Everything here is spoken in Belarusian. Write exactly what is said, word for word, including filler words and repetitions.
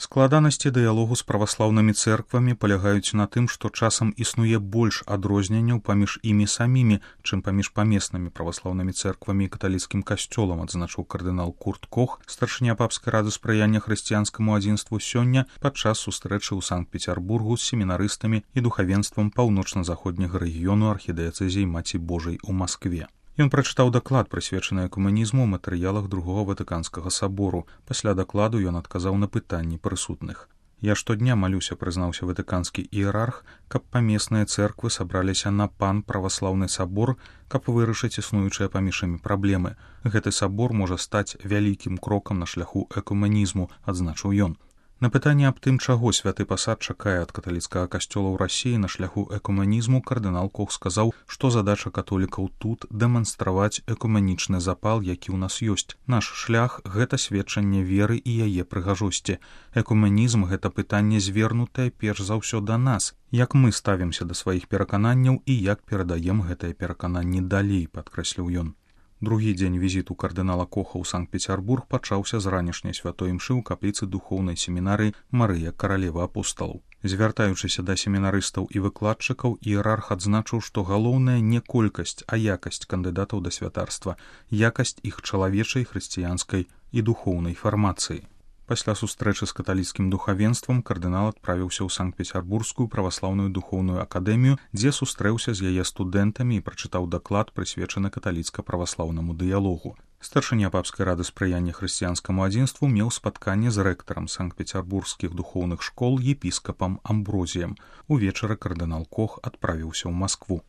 Складанасці дыялогу з праваслаўнымі цэрквамі палягаюць на тым, што часам існуе больш адрозненняў паміж імі самімі, чым паміж памеснымі праваслаўнымі цэрквамі і каталіцкім касцёлам, адзначыў кардынал Курт Кох, старшыня папскай рады спрыяння хрысціянскаму адзінству сёння падчас сустрэчы ў Санкт-Пецярбургу з семінарыстамі і духавенствам паўночна-заходняга рэгіёну архідыяцэзіі Маці Божай у Маскве. Ён прачытаў даклад, прысвечаны экумэнізму ў матэрыялах другога Ватыканскага сабору. Пасля дакладу ён адказаў на пытанні прысутных. «Я штодня малюся», — прызнаўся ватыканскі іерарх, «каб памесныя цэрквы сабраліся на пан праваслаўны сабор, каб вырашыць існуючыя паміж імі праблемы. Гэты сабор можа стаць вялікім крокам на шляху экумэнізму», — адзначыў ён. На пытанне аб тым, чаго святы пасад чакае ад каталіцкага касцёла ў Расіі на шляху экумэнізму, кардынал Кох сказаў, што задача католікаў тут дэманстраваць экумэнічны запал, які ў нас ёсць. Наш шлях — гэта сведчанне веры і яе прыгажосці. Экумэнізм — гэта пытанне звернутае перш за ўсё да нас. Як мы ставімся да сваіх перакананняў і як перадаем гэтыя перакананні далей, падкрэсліў ён. Другі дзень візіту кардынала Коха ў Санкт-Пецярбург пачаўся з ранішняй святой імшы ў капліцы духоўнай семінарыі Марыя Каралева апосталаў. Звяртаючыся да семінарыстаў і выкладчыкаў, іерарх адзначыў, што галоўнае не колькасць, а якасць кандыдатаў да святарства, якасць іх чалавечай, хрысціянскай і духоўнай фармацыі. Пасля сустрэчы з каталіцкім духавенствам кардынал адправіўся ў Санкт-Пецярбургскую праваслаўную духоўную акадэмію, дзе сустрэўся з яе студэнтамі і прачытаў даклад, прысвечаны каталіцка-праваслаўнаму дыялогу. Старшыня папскай рады спрыяння хрысціянскаму адзінству меў спатканне з рэктарам санкт-пецярбургскіх духоўных школ епіскапам Амброзіем. Увечары кардынал Кох адправіўся ў Маскву.